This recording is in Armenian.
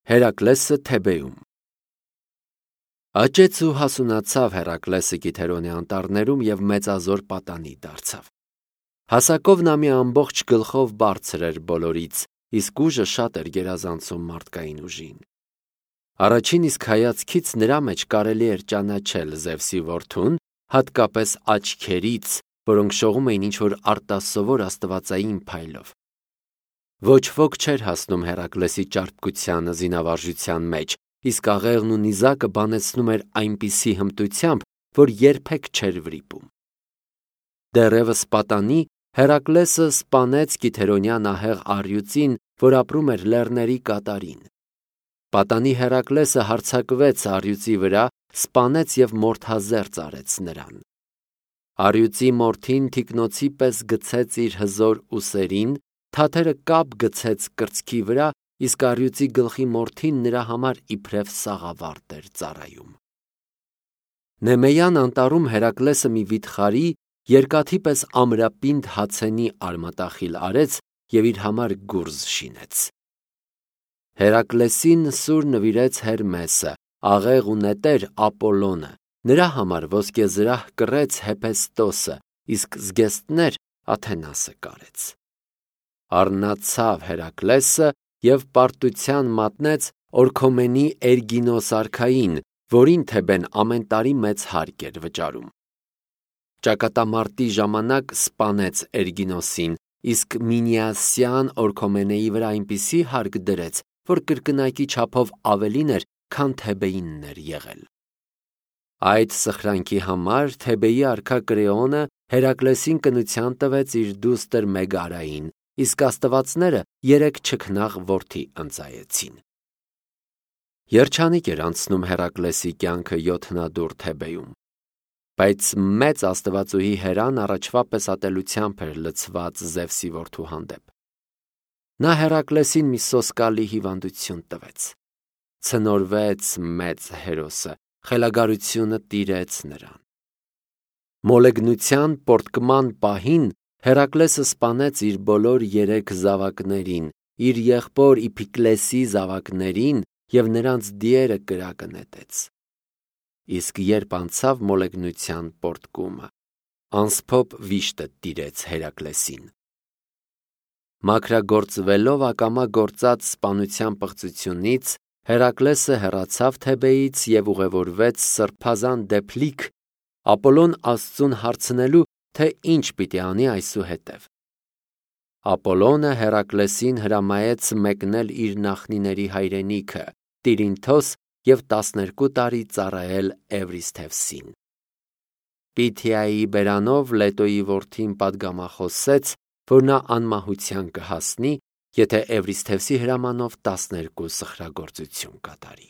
Հերակլեսը Թեբեում։ Աճեց ու հասունացավ Հերակլեսը Կիթերոնի անտառներում և մեծազոր պատանի դարձավ։ Հասակով նա մի ամբողջ գլխով բարձր էր բոլորից, իսկ ուժը շատ էր գերազանցում մարդկային ուժին։ Առաջին իսկ հայացքից նրա մեջ կարելի էր ճանաչել Զևսի որդուն, հատկապես աչքերից, որոնք շողում էին ինչ-որ արտասովոր աստվածային փայլով։ Ոչ ոք չէր հասնում Հերակլեսի ճարպկությանը զինավարժության մեջ, իսկ աղեղն ու նիզակը բանեցնում էր այնպիսի հմտությամբ, որ երբեք չէր վրիպում։ Դեռևս պատանի Հերակլեսը սպանեց Կիթերոնյան ահեղ առյուծին, որ ապրում էր լեռների կատարին։ Պատանի Հերակլեսը հարձակվեց առյուծի վրա, սպանեց և մորթազերծ արեց նրան։ Առյուծի մորթին թիկնոցի պես գցեց իր հզոր ուսերին, թաթերը կապ գցեց կրծքի վրա, իսկ առյուծի գլխի մորթին նրա համար իբրև սաղավարտ էր ծառայում։ Նեմեյան անտառում Հերակլեսը մի վիթխարի, երկաթի պես ամրապինդ հացենի արմատախիլ արեց և իր համար գուրզ շինեց։ Հերակլեսին սուր նվիրեց Հերմեսը, աղեղ ու նետեր Ապոլոնը, նրա համար ոսկեզրահ կռեց Հեփեստոսը, իսկ զգեստներ Աթենասը կարեց։ Առնացավ Հերակլեսը և պարտության մատնեց Օրքոմենի Էրգինոս արքային, որին Թեբեն ամեն տարի մեծ հարկ էր վճարում։ Ճակատամարտի ժամանակ սպանեց Էրգինոսին, իսկ Մինիասյան Օրքոմենեի վրա այնպիսի հարկ դրեց, որ կրկնակի չափով ավելին էր, քան Թեբեինն էր եղել։ Այդ սխրանքի համար Թեբեի արքա Կրեոնը Հերակլեսին կնության տվեց իր դուստր Մեգարային, իսկ աստվածները 3 չքնաղ որդի ընծայեցին։ Երջանիկ էր անցնում Հերակլեսի կյանքը յոթնադուռ Թեբեում, բայց մեծ աստվածուհի Հերան առաջվա պես ատելությամբ էր լցված Զևսի որդու հանդեպ։ Նա Հերակլեսին մի սոսկալի հիվանդություն տվեց։ Ցնորվեց մեծ հերոսը, խելագարությունը տիրեց նրան։ Մոլեգնության պոռթկման պահին Հերակլեսը սպանեց իր բոլոր 3 զավակներին, իր եղբոր Իփիկլեսի զավակներին և նրանց դիերը կրակը նետեց։ Իսկ երբ անցավ մոլեգնության պոռթկումը, անսփոփ վիշտը տիրեց Հերակլեսին։ Մաքրագործվելով ակամա գործած սպանության պղծությունից, Հերակլեսը հեռացավ Թեբեից և ուղևորվեց սրբազան դեպլիկ, Ապոլոն Աստծուն հարցնելու, թե ինչ պիտի անի այսուհետև։ Ապոլոնը Հերակլեսին հրամայեց մեկնել իր նախնիների հայրենիքը՝ Տիրինթոս և 12 տարի ծառայել Էվրիսթևսին։ Պիթիայի բերանով Լետոյի որդին պատգամախոսեց, որ նա անմահության կհասնի, եթե Էվրիսթևսի հրամանով 12 սխրագործություն կատարի։